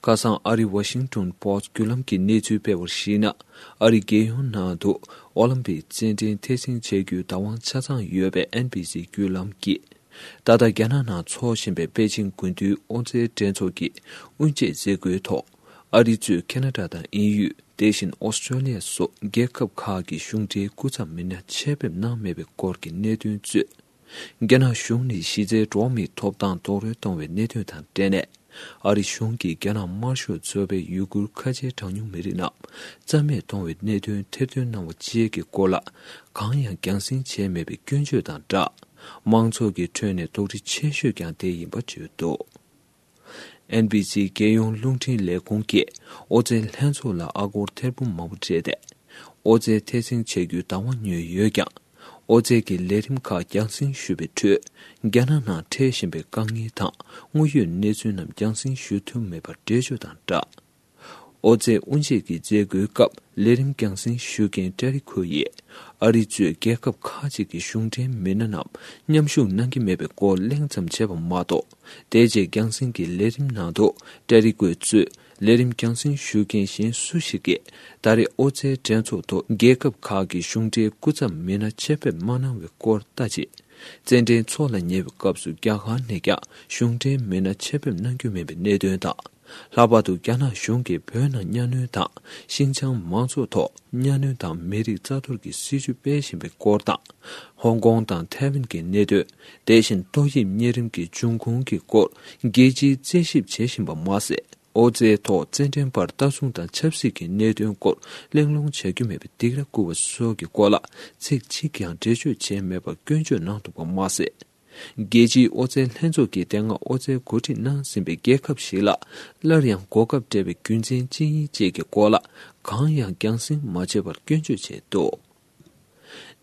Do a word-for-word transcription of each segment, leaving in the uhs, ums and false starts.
ཁ་སང་ཨ་རིའི་ཝ་ཤིང་ཏོན་པོ་སི་ཊི་བརྒྱུད་ལམ་གྱིས་གནས་ཚུལ་སྤེལ་བར་གཞིགས་ན། ཨ་རིའི་རྒྱལ་ཡོངས་ནང་དུ་ཨོ་ལིམ་པིག་རྩེད་འགྲན་འཐེན་འཛིན་བྱ་རྒྱུའི་བདག་དབང་ཆ་ཚང་ཡོད་པའི་ཨེན་བི་སི་བརྒྱུད་ལམ་གྱིས། ད་ལྟ་རྒྱ་ནག་ནང་འཚོགས་བཞིན་པའི་པེ་ཅིང་དགུན་དུས་ཨོ་རྩལ་འགྲན་ཚོགས་ཀྱི་དབུ་འབྱེད་མཛད་སྒོའི་ཐོག་ཨ་རི་གཙོས་ཁེ་ན་ཌ་དང་དབྱིན་ཡུལ། དེ་བཞིན་ཨོ་སི་ཀྲོ་ལི་ཡ་སོགས་རྒྱལ་ཁབ་ཁག་གི་གཞུང་འབྲེལ་སྐུ་ཚབ་མི་སྣ་ཆེད་ཕེབས་གནང་མེད་པའི་སྐོར་གྱི་གནད་དོན་གཙོས། རྒྱ་ནག་གཞུང་ནས་གཞི་རྩའི་འགྲོ་བ་མིའི་ཐོབ་ཐང་རྡོག་རོལ་གཏོང་བའི་གནད་དོན་དང་འབྲེལ་ནས། ཨ་རི་གཞུང་གིས་རྒྱ་ནག་དམར་ཤོག་ཚོགས་པའི་ཡུ་གུར་ཁ་ཆེའི་གྲངས་ཉུང་མི་རིགས་རྣམས་རྩ་མེད་གཏོང་བའི་གནད་དོན་ཐེར་འདོན་གནང་བ་བཅས་ཀྱི་སྐོར་ལ། གང་ཡང་རྒྱང་སྲིང་བྱས་མེད་པའི་སྐྱོན་བརྗོད་དང་སྦྲགས། མང་ཚོགས་ཀྱི་ཁྲོད་ནས་དོགས་འདྲི་ཆེ་ཤོས་ཀྱང་དེ་ཡིན་པ་བརྗོད་འདུག་ཨེན་བི་སི་རྒྱལ་ཡོངས་རླུང་འཕྲིན་ལས་ཁུངས་ཀྱིས་ཨོ་རྩལ་ལྷན་ཚོགས་ལ་ཨ་སྒོར་ཐེར་འབུམ་མང་པོ་སྤྲད་དེ། ཨོ་རྩལ་འཐེན་འཛིན་བྱ་རྒྱུའི་བདག་དབང་ཉོས་ཡོད་ཀྱང་། ཨོ་རྩལ་གྱི་ལས་རིམ་ཁག་རྒྱང་སྲིང་ཞུས་པའི་ཁྲོད། རྒྱ་ནག་ནང་འཕྲད་བཞིན་པའི་དཀའ་ངལ་དང་དངོས་ཡོད་གནས་ཚུལ་རྣམས་རྒྱང་སྲིང་ཞུ་ཐུབ་མེད་པར་འགྲེལ་བརྗོད་དང་སྦྲགས། ཨོ་རྩལ་དབུ་འབྱེད་ཀྱི་མཛད་སྒོའི་སྐབས་ལས་རིམ་རྒྱང་སྲིང་ཞུ་མཁན་ཏྲེ་རི་ཁོ་ཡིས། ཨ་རི་གཙོས་རྒྱལ་ཁབ་ཁག་ཅིག་གི་གཞུང་འབྲེལ་མི་སྣ་རྣམས་མཉམ་ཞུགས་གནང་གི་མེད་པའི་སྐོར་གླེང་ཙམ་བྱས་པ་མ་གཏོགས། དེ་རྗེས་རྒྱང་སྲིང་གི་ལས་རིམ་ནང་དུ་ཏྲེ་རི་ཁོ་གཙོས་ལས་རིམ་རྒྱང་སྲིང་ཞུ་མཁན་གཞན་སུ་ཞིག་གིས་ད་རེས་ཨོ་རྩལ་འགྲན་ཚོགས་ཐོག་རྒྱལ་ཁབ་ཁག་གི་གཞུང་འབྲེལ་སྐུ་ཚབ་མི་སྣ་ཆེད་ཕེབས་མ་གནང་བའི་སྐོར་ལྟ་ཅི། རྩེད་འགྲན་འཚོགས་ལ་ཉེ་བའི་སྐབས་སུ་རྒྱ་གར་ནས་ཀྱང་གཞུང་འབྲེལ་མི་སྣ་ཆེད་ཕེབས་གནང་རྒྱུ་མིན་པའི་གནད་དོན་དང་། ལྷག་པར་དུ་རྒྱ་ནག་གཞུང་གིས་བོད་ནང་གཉའ་གནོན་དང་། ཤིན་ཅང་མང་ཚོགས་ཐོག་གཉའ་གནོན་དང་མི་རིགས་རྩ་གཏོར་གྱི་སྲིད་བྱུས་སྤེལ་བཞིན་པའི་སྐོར་དང་། ཧོང་ཀོང་དང་ཐའེ་ཝན་གྱི་གནད་དོན། དེ་བཞིན་ཏོག་དབྱིབས་གཉན་རིམས་ཀྱི་འབྱུང་ཁུངས་ཀྱི་སྐོར་རྒྱལ་སྤྱིའི་རྩད་ཞིབ་བྱེད་བཞིན་པ་མ་ཟད། ཨོ་རྩལ་ཐོག་རྩེད་འགྲན་པར་ལྟ་སྲུང་དང་ཆབ་སྲིད་ཀྱི་གནད་དོན་སྐོར་གླེང་སློང་བྱ་རྒྱུ་མེད་པའི་སྡིགས་ར་བསྐུལ་བ་སོགས་ཀྱི་སྐོར་ལ་ཚིག་གཅིག་ཀྱང་འགྲེལ་བརྗོད་བྱས་མེད་པར་སྐྱོན་བརྗོད་གནང་འདུག་པ་མ་ཟད། རྒྱལ་སྤྱིའི་ཨོ་རྩལ་ལྷན་ཚོགས་ཀྱིས་དེ་སྔ་ཨོ་རྩལ་གོ་སྒྲིག་གནང་ཟིན་པའི་རྒྱལ་ཁབ་ཞིག་ལ་སླར་ཡང་གོ་སྐབས་སྤྲད་པའི་རྒྱུ་མཚན་ཅི་ཡིན་བཅས་ཀྱི་སྐོར་ལ་གང་ཡང་རྒྱང་སྲིང་མ་བྱས་པར་སྐྱོན་བརྗོད་བྱས་འདུག་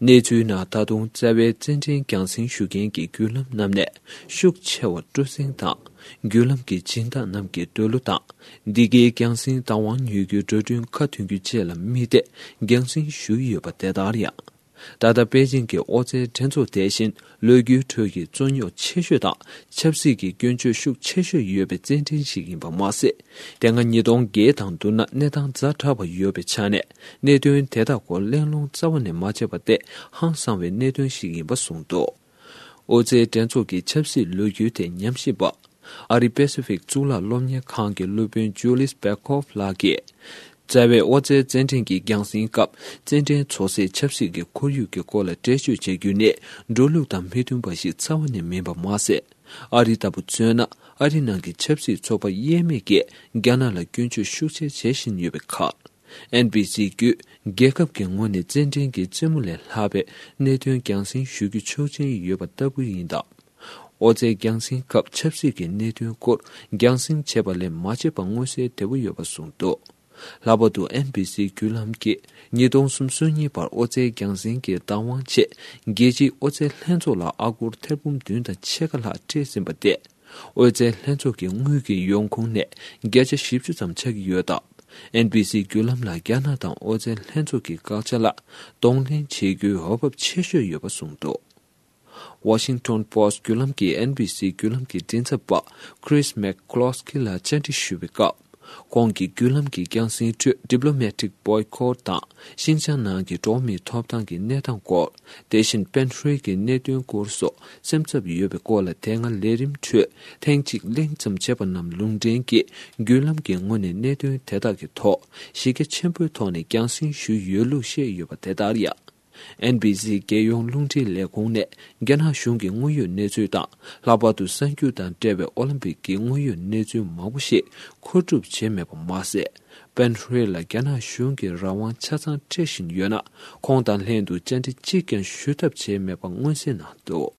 གནས་ཚུལ་ནང་ད་དུང་རྩ་བའི་རྩེད་འགྲན་རྒྱང་སྲིང་ཞུ་མཁན་གྱི་བརྒྱུད་ལམ་རྣམས་ནས་ཤུགས་ཆེ་བ་སྤྲོ་གསེང་དང་། བརྒྱུད་ལམ་གྱི་སྦྱིན་བདག་རྣམས་ཀྱི་འདོད་བློ་དང་། འདི་གའི་རྒྱང་སྲིང་བདག་དབང་ཉོ་རྒྱུའི་འགྲོ་གྲོན་ཁ་མཐུན་རྒྱུ་བཅས་ལ་དམིགས་ཏེ་རྒྱང་སྲིང་ཞུ་ཡི་ཡོད་པ་དེ་ལྟར་ཡང་། ད་ལྟ་པེ་ཅིང་གི་ཨོ་རྩལ་འགྲན་ཚོགས་དེ་བཞིན་ལོ་རྒྱུས་ཁྲོད་ཀྱི་རྩོད་རྙོག་ཆེ་ཤོས་དང་ཆབ་སྲིད་ཀྱི་སྐྱོན་བརྗོད་ཤུགས་ཆེ་ཤོས་ཡོད་པའི་རྩེད་འགྲན་ཞིག་ཡིན་པ་མ་ཟད། དེ་སྔ་ཉིས་སྟོང་བརྒྱད་དང་བསྡུར་ན་གནས་སྟངས་ཛ་དྲག་པ་ཡོད་པའི་ཆ་ནས་གནད་དོན་དེ་དག་སྐོར་གླེང་སློང་རྩ་བ་ནས་མ་བྱས་པ་དེ་ཧང་སང་བའི་གནད་དོན་ཞིག་ཡིན་པ་གསུངས་འདུག་ཨོ་རྩལ་འགྲན་ཚོགས་ཀྱི་ཆབ་སྲིད་ལོ་རྒྱུས་དེ་ཉམས་ཞིབ་པ། ཨ་རི་པེ་སི་ཕིག་གཙུག་ལག་སློབ་གཉེར་ཁང་གི་སློབ་དཔོན་ཇུ་ལིས་པེ་ཁོབ་ལགས་ཀྱིས། རྩ་བའི་ཨོ་རྩལ་རྩེད་འགྲན་གྱི་རྒྱང་སྲིང་སྐབས་རྩེད་འགྲན་འཚོགས་སའི་ཆབ་སྲིད་ཀྱི་ཁོར་ཡུག་གི་སྐོར་ལ་འགྲེལ་བརྗོད་བྱ་རྒྱུ་ནི་འགྲོ་ལུགས་དང་མི་མཐུན་པ་ཞིག་རྩ་བ་ནས་མིན་པ་མ་ཟད། ཨ་རི་ལྟ་བུ་མཚོན་ན་ཨ་རི་ནང་གི་ཆབ་སྲིད་ཚོགས་པ་དབྱེར་མེད་ཀྱིས་རྒྱ་ནག་ལ་སྐྱོན་བརྗོད་ཤུགས་ཆེ་བྱེད་བཞིན་ཡོད་པའི་ཁར། ཨེན་བི་སི་བརྒྱུད་རྒྱལ་ཁབ་ཀྱི་ངོས་ནས་རྩེད་འགྲན་གྱི་རྩེད་མོ་ལས་ལྷག་པའི་གནད་དོན་རྒྱང་སྲིང་ཞུ་རྒྱུ་ཆོག་མཆན་ཡོད་པ་ལྟ་བུ་ཡིན་སྟབས། ཨོ་རྩལ་རྒྱང་སྲིང་སྐབས་ཆབ་སྲིད་ཀྱི་གནད་དོན་སྐོར་རྒྱང་སྲིང་བྱས་པ་ལས་མ་བྱས་པ་མངོན་གསལ་དོད་པོ་ཡོད་པ་གསུངས་འདུག་ལྷག་པར་དུ་ཨེན་བི་སི་བརྒྱུད་ལམ་གྱིས་ཉིས་སྟོང་སུམ་ཅུ་སོ་གཉིས་བར་ཨོ་རྩལ་རྒྱང་སྲིང་གི་བདག་དབང་ཆེད་རྒྱལ་སྤྱིའི་ཨོ་རྩལ་ལྷན་ཚོགས་ལ་ཨ་སྒོར་ཐེར་འབུམ་བདུན་དང་ཕྱེད་ཀ་ལྷག་སྤྲད་ཟིན་པ་སྟེ། ཨོ་རྩལ་ལྷན་ཚོགས་ཀྱི་དངུལ་གྱི་ཡོང་ཁུངས་ནས་བརྒྱ་ཆ་བཞི་བཅུ་ཙམ་ཆགས་ཀྱི་ཡོད་སྟབས། ཨེན་བི་སི་བརྒྱུད་ལམ་ལ་རྒྱ་ནག་དང་ཨོ་རྩལ་ལྷན་ཚོགས་ཀྱི་དགག་བྱ་ལ་གདོང་ལེན་བྱེད་རྒྱུའི་འོས་བབ་ཆེ་ཤོས་ཡོད་པ་གསུངས་འདུག་ཝ་ཤིང་ཊོན་པོ་སི་ཊི་བརྒྱུད་ལམ་གྱིས་ཨེན་བི་སི་བརྒྱུད་ལམ་གྱི་མགྲིན་ཚབ་པ་Chris McCloskey་ལ་བཅར་འདྲི་ཞུས་པའི་སྐབས། ཁོང་གིས་བརྒྱུད་ལམ་གྱི་རྒྱང་སྲིང་ཁྲོད་diplomatic boycott་དང་ཤིན་ཅང་ནང་གི་འགྲོ་བ་མིའི་ཐོབ་ཐང་གི་གནས་སྟངས་སྐོར། དེ་བཞིན་པན་ཧྲུའེ་གི་གནད་དོན་སྐོར་སོགས་སེམས་འཚབ་ཡོད་པའི་སྐོར་ལ་དེ་སྔ་ལས་རིམ་ཁྲོད་ཐེངས་གཅིག་གླེང་ཙམ་བྱས་པ་རྣམས་ལུང་འདྲེན་གྱིས་བརྒྱུད་ལམ་གྱི་ངོས་ནས་གནད་དོན་དེ་དག་གི་ཐོག་གཞི་རྒྱ་ཆེན་པོའི་ཐོག་ནས་རྒྱང་སྲིང་ཞུས་ཡོད་ལུགས་བཤད་ཡོད་པ་དེ་ལྟར་ཡང་། ཨེན་བི་སི་རྒྱལ་ཡོངས་རླུང་འཕྲིན་ལས་ཁུངས་ནས་རྒྱ་ནག་གཞུང་གི་དངོས་ཡོད་གནས་ཚུལ་དང་། ལྷག་པར་དུ་གསར་འགྱུར་དང་འབྲེལ་བའི་ཨོ་ལིམ་པིག་གི་དངོས་ཡོད་གནས་ཚུལ་མང་པོ་ཞིག་མཁོ་སྒྲུབ་བྱས་མེད་པ་མ་ཟད། པན་ཧྲུའེ་ལ་རྒྱ་ནག་གཞུང་གིས་རང་དབང་ཆ་ཚང་སྤྲད་བཞིན་ཡོད་ན། ཁོང་དང་ལྷན་དུ་བཅར་འདྲི་གཅིག་ཀྱང་ཞུ་ཐབས་བྱས་མེད་པ་མངོན་གསལ་གནང་འདུག